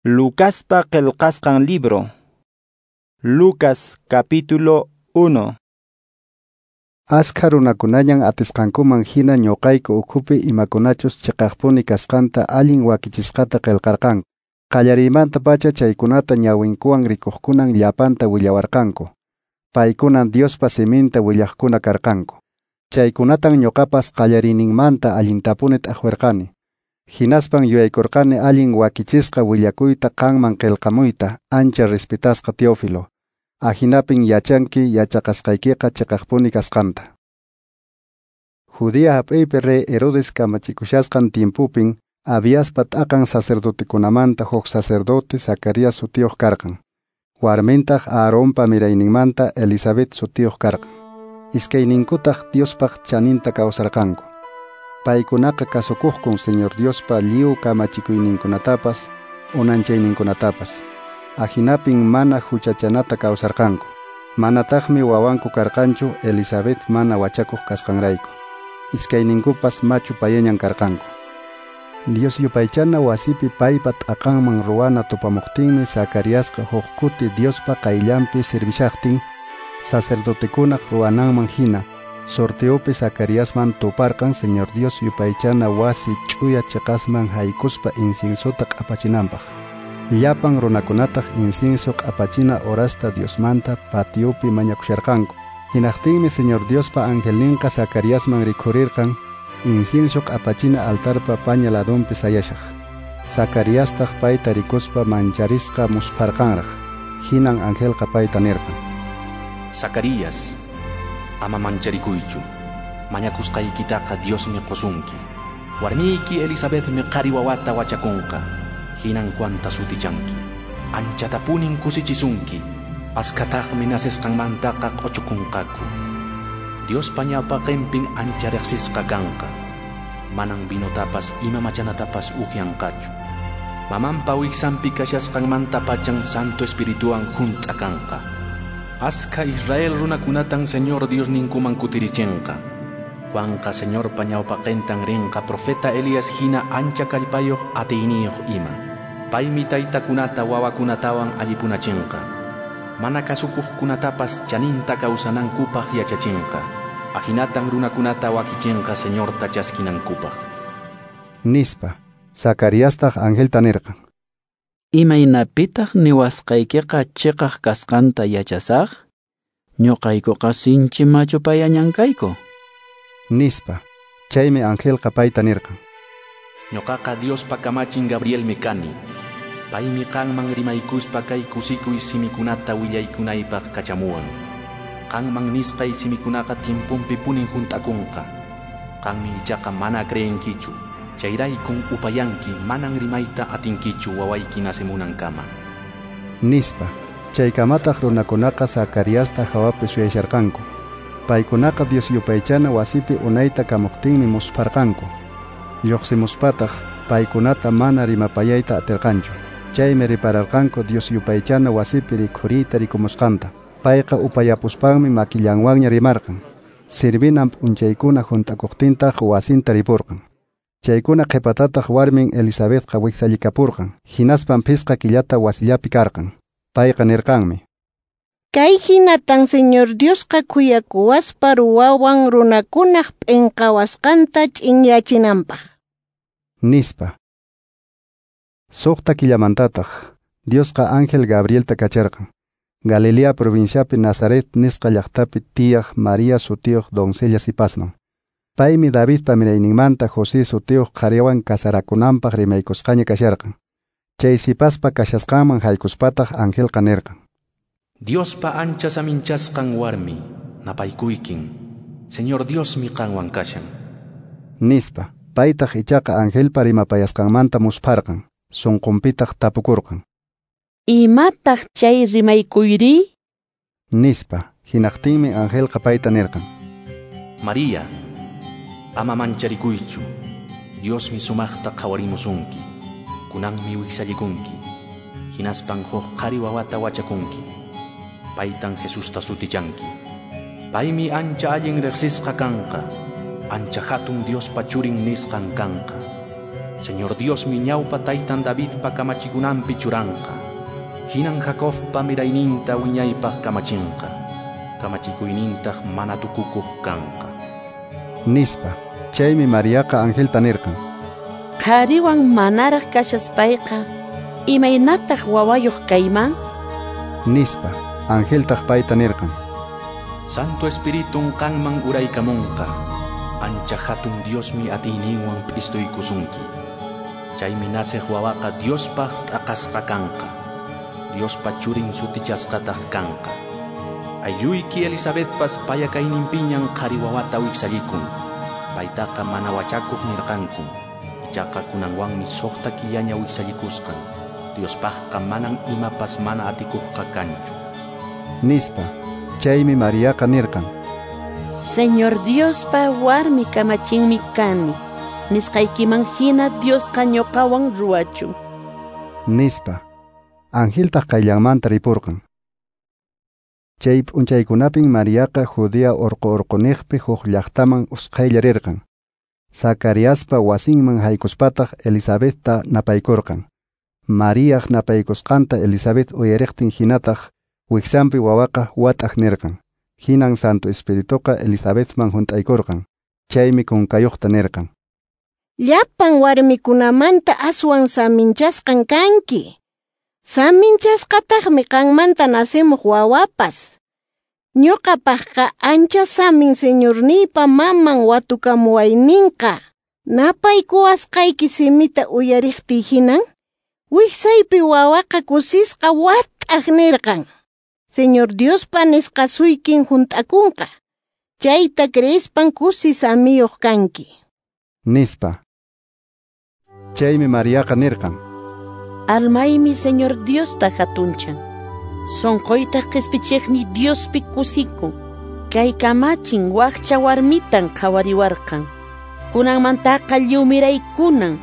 Lucaspa qillqasqan libro. Lucas capítulo 1. Askha runakunañan atisqankuman hina ñuqayku ukhupi imakunachus chiqaqpuni kasqanta allin wakichisqata qillqarqanku. Qallariymantapacha chaykunata ñawinkuwan rikuqkunan llapanta willawarqanku. Paykunan Diospa siminta willaqkuna karqanku. Chaykunatan ñuqapas qallariyninmanta allintapuni t'aqwirqani. Hinaspan yuyaykurqani allin wakichisqa willakuyta qanman qillqamuyta, ancha respetasqa Teófilo. Ahinapin yachanki yachaqasqaykiqa chiqaqpuni kasqanta. Judea hap'iypi rey Herodes kamachikushasqan tiempopin Abiaspa t'aqan sacerdotekunamanta huk sacerdote Zacarías sutiyuq karqan. Warmintaq Aaronpa mirayninmanta Elizabeth sutiyuq karqan. Iskayninkutaq Diospaq chaninta kawsarqanku. Paykunaqa kasukuqkun Señor Diospa lliw kamachikuyninkunatapas, unanchayninkunatapas. Ahinapin mana huchachanata kawsarqanku. Manataqmi wawanku karqanchu Elizabeth mana wachakuq kasqanrayku. Iskayninkupas machu payañan karqanku. Dios yupaychana wasipi paypa t'aqanman ruwana tupamuqtinmi Zacariasqa huk kuti Diospa qayllanpi servishaqtin sacerdotekunaq ruwananman hina sorteopi Zacariasman tuparqan Señor Dios yupaychana wasi ch'uya chiqasman haykuspa inciensota q'apachinanpaq. Llapan runakunataq incienso q'apachina horasta Diosmanta patiopi mañakusharqanku. Hinaqtinmi Señor Diospa angelninqa Zacariasman rikhurirqan incienso q'apachina altarpa paña ladunpi sayashaq. Zacariastaq payta rikuspa mancharisqa muspharqanraq. Hinan angelqa payta nirqan: Zacarías, ama mancharikuychu. Mañakusqaykitaqa Diosmi qusunki. Warmiyki Elizabethmi qhari wawata wachakunqa. Hinan Juanta sutichanki. Anchatapunin kusichisunki. Askataqmi nacesqanmantaqa q'uchukunqaku. Diospa ñawpaqinpin ancha riqsisqa kanqa. Manan vinotapas ima machanatapas upyanqachu. Mamanpa wiksanpi kashasqanmantapachan Santo Espirituwan hunt'a kanqa. Askha Israel runakunatan Señor Diosninkuman kutirichinqa. Juanqa Señorpa ñawpaqintan rinqa profeta Elías hina ancha kallpayuq atiyniyuq ima. Paymi taytakunata wawakunatawan allipunachinqa. Mana kasukuqkunatapas chaninta kawsanankupaq yachachinqa. Ahinatan runakunata wakichinqa Señorta chaskinankupaq. Nispa. Zacariastaq angelta nirqan: Imaynapitaq niwasqaykiqa chiqaq kasqanta yachasaq? Ñuqaykuqa sinchi machu payañan kayku. Nispa. Chaymi angelqa payta nirqan: Ñuqaqa Diospa kamachin Gabrielmi kani. Paymi qanman rimaykuspa kay kusikuy simikunata willaykunaypaq kachamuwan. Qanman nisqay simikunaqa tiemponpi punin hunt'akunqa. Qanmi ichaqa mana creenkichu. Chayraykun upayanki manan rimayta atinkichu wawayki nacemunankama. Nispa. Chaykamataq runakunaqa Zacariasta hawapi suyasharqanku. Paykunaqa Dios yupaychana wasipi unayta kamuqtinmi muspharqanku. Lluqsimuspataq paykunata mana rimapayayta atirqanchu. Chaymi ripararqanku Dios yupaychana wasipi rikhuriyta rikumusqanta. Payqa upayapuspanmi makillanwanña rimarqan. Sirvinan p'unchaykuna hunt'akuqtintaq wasinta ripurqan. Chaykuna qhipatataq warmin Elizabethqa wiksallikapurqan. Hinaspan phisqa killata wasillapi karqan. Payqa nirqanmi: Kay hinatan Señor Diosqa khuyakuwaspa ruwawan runakunaq p'inqawasqanta ch'inyachinanpaq. Nispa. Suqta killamantataq Diosqa ángel Gabrielta kacharqan. Galilea provinciapi Nazaret nisqa llaqtapi tiyaq María sutiyuq doncella sipasman. Paymi Davidpa mirayninmanta José sutiyuq qhariwan kasarakunanpaq rimaykusqaña kasharqan. Chay sipaspa kashasqanman haykuspataq angelqa nirqan: Diospa ancha saminchasqan warmi, napaykuykin. Señor Diosmi qanwan kashan. Nispa. Paytaq ichaqa angelpa rimapayasqanmanta muspharqan. Sunqunpitaq tapukurqan: Imataq chay rimaykuyri? Nispa. Hinaqtinmi angelqa payta nirqan: María, ama mancharikuychu. Diosmi sumaqta qhawarimusunki. Kunanmi wiksallikunki. Hinaspan huk qhari wawata wachakunki. Paytan Jesusta sutichanki. Paymi ancha allin riqsisqa kanqa. Ancha hatun Diospa churin nisqan kanqa. Señor Diosmi ñawpa taytan Davidpa kamachikunanpi churanqa. Hinan Jacobpa mirayninta wiñaypaq kamachinqa. Kamachikuynintaq mana tukukuq kanqa. Nispa. Chaymi Mariaqa angelta nirqan: Qhariwan manaraq kashaspayqa, imaynataq wawayuq kayman? Nispa. Angeltaq payta nirqan: Santo Espiritun qanman uraykamunqa. Ancha hatun Diosmi atiyninwan p'istuykusunki. Chaymi naceq wawaqa Diospaq t'aqasqa kanqa. Diospa churin sutichasqataq kanqa. Aylluyki Elisabetpas payakayninpiñan qhari wawata wiksallikun. Paytaqa mana wachakuq nirqanku. Ichaqa kunanwanmi 6 killaña wiksallikusqan. Diospaqqa manan imapas mana atikuqqa kanchu. Nispa. Chaymi Mariaqa nirqan: Señor Diospa warmi kamachinmi kani. Nisqaykiman hina Diosqa ñuqawan ruwachun. Nispa. Angeltaq qayllanmanta ripurqan. Chay p'unchaykunapin Mariaqa Judea orqo orqoniqpi huk llaqtaman usqhaylla rirqan. Zacariaspa wasinman haykuspataq Elisabetta napaykurqan. Mariaq napaykusqanta Elisabet uyariqtin hinataq wiksanpi wawaqa wat'aq nirqan. Hinan Santo Espirituqa Elisabetman hunt'aykurqan. Chaymi kunkayuqta nirqan: Llapan warmikunamanta aswan saminchasqan kanki. Saminchasqataqmi qanmanta nacemuq wawapas. Ñuqapaqqa ancha samin Señorniypa maman watukamuwayninqa. Napaykuwasqayki simita uyariqtiy hinan, wiksaypi wawaqa kusisqa wat'aq nirqan. Señor Diospa nisqasuykin hunt'akunqa. Chayta creespan kusi samiyuq kanki. Nispa. Chaymi Mariaqa nirqan: Almaymi Señor Diosta hatunchan. Sonqoytaq qispichiqni Diospi kusikun. Kay kamachin wakcha warmitan qhawariwarqan. Kunanmantaqa lliw miraykunan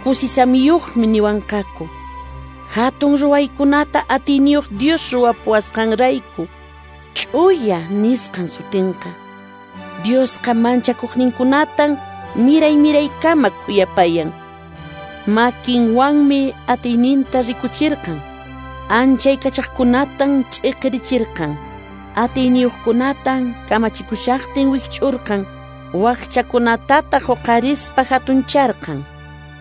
kusisamiyuqmi niwanqaku. Hatun ruwaykunata atiyniyuq Dios ruwapuwasqanrayku. Ch'uya nisqan sutinqa. Diosqa manchakuqninkunatan miray miraykama khuyapayan. Makinwanmi atiyninta rikuchirqan. Anchay kachaqkunatan ch'iqirichirqan. Atiyniyuqkunatan kamachikushaqtin wikch'urqan. Wakchakunatataq huqarispa hatuncharqan.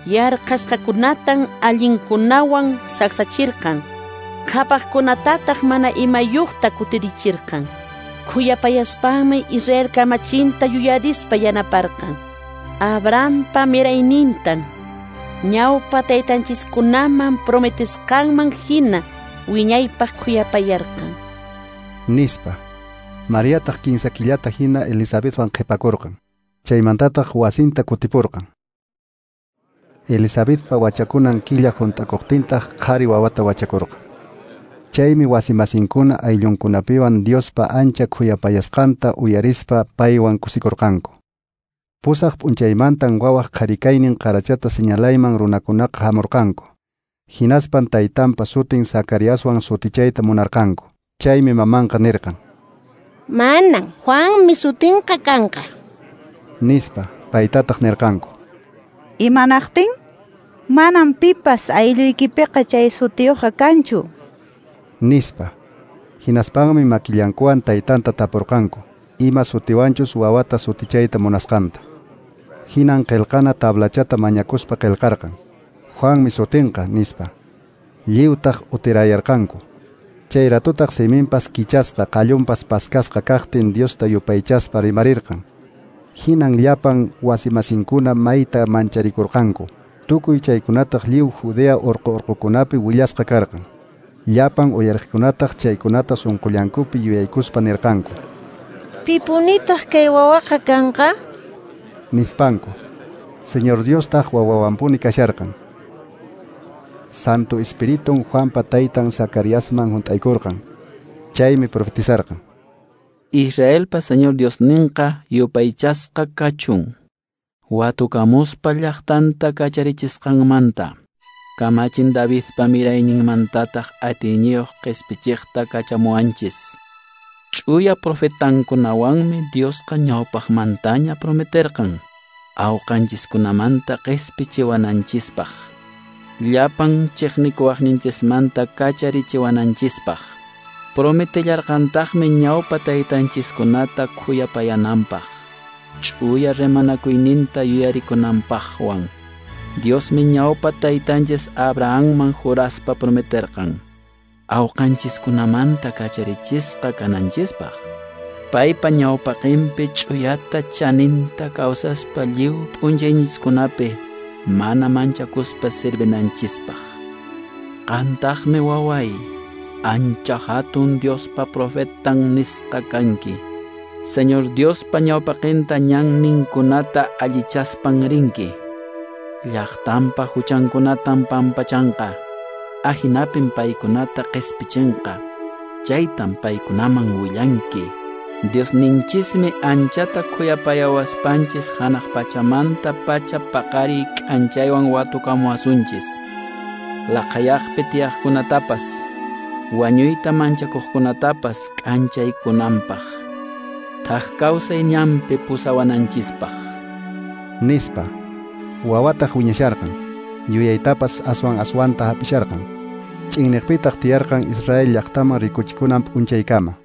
Yarqasqakunatan allinkunawan saksachirqan. Qhapaqkunatataq mana imayuqta kutirichirqan. Khuyapayaspanmi Israel kamachinta yuyarispa yanaparqan. Abrahampa miraynintan ñawpa taytanchiskunaman prometesqanman hina wiñaypaq khuyapayarqan. Nispa. Mariataq 15 killata hina Elisabetwan qhipakurqan. Chaymantataq wasinta kutipurqan. Elisabetpa wachakunan killa hunt'akuqtintaq qhari wawata wachakurqan. Chaymi wasimasinkuna ayllunkunapiwan Diospa ancha khuyapayasqanta uyarispa paywan kusikurqanku. Pusaq p'unchaymantan wawaq qharikaynin qarachata señalayman runakunaqa hamurqanku. Hinaspan taytanpa sutin Zacariaswan sutichayta munarqanku. Chaymi mamanqa nirqan: Manan, Juanmi sutinqa kanqa. Nispa. Paytataq nirqanku: Imanaqtin? Manam pipas aylluykipiqa chay sutiyuqqa kanchu. Nispa. Hinaspanmi makillankuwan taytanta tapurqanku ima sutiwanchus wawata sutichayta munasqanta. Hinan qillqana tablachata mañakuspa qillqarqan: Juanmi sutinqa, nispa. Lliwtaq utirayarqanku. Chay ratutaq siminpas kichasqa, qallunpas paskasqa kaqtin Diosta yupaychaspa rimarirqan. Hinan llapan wasimasinkuna mayta mancharikurqanku. Tukuy chaykunataq lliw Judea orqo orqokunapi willasqa karqan. Llapan uyariqkunataq chaykunata sunqullankupi yuyaykuspa nirqanku: Pipunitaq kay wawaqa kanqa? Nispanku. Señor Diostaq wawawanpuni kasharqan. Santo Espiritun Juanpa taytan Zacariasman hunt'aykurqan. Chaymi profetizarqan: Israelpa Señor Diosninqa yupaychasqa kachun. Watukamuspa llaqtanta kacharichisqanmanta. Kamachin Davidpa mirayninmantataq atiyniyuq qispichiqta kachamuwanchis. Ch'uya profetankunawanmi Diosqa ñawpaqmantaña prometerqan. Awqanchiskunamanta qespichiwananchispaq, llapan chiqnikuwaqninchismanta kacharichiwananchispaq. Prometellarqantaqmi ñawpa taytanchiskunata khuyapayananpaq, ch'uya rimanakuyninta yuyarikunanpaqwan. Diosmi ñawpa taytanchis Abrahamman juraspa prometerqan, awqanchiskunamanta kacharichisqa kananchispaq. Paypa ñawpaqinpi ch'uyata chaninta kawsaspa lliw p'unchayniskunapi mana manchakuspa sirvinanchispaq. Qantaqmi waway, ancha hatun Diospa profetan nisqa kanki. Señor Diospa ñawpaqinta ñanninkunata allichaspan rinki. Llaqtanpa huchankunatan pampachanqa, ahinapin paykunata qespichinqa. Chaytan paykunaman willanki. Diosninchismi anchata khuyapayawaspanchis hanaq pachamanta pacha paqariy k'anchaywan watukamuwasunchis. Laqhayaqpi tiyaqkunatapas, wañuyta manchakuqkunatapas k'anchaykunanpaq, thak kawsay ñanpi pusawananchispaq. Nispa. Wawataq wiñasharqan, yuyaytapas aswan aswanta hap'isharqan. Ch'inniqpitaq tiyarqan Israel llaqtaman rikuchikunan p'unchaykama.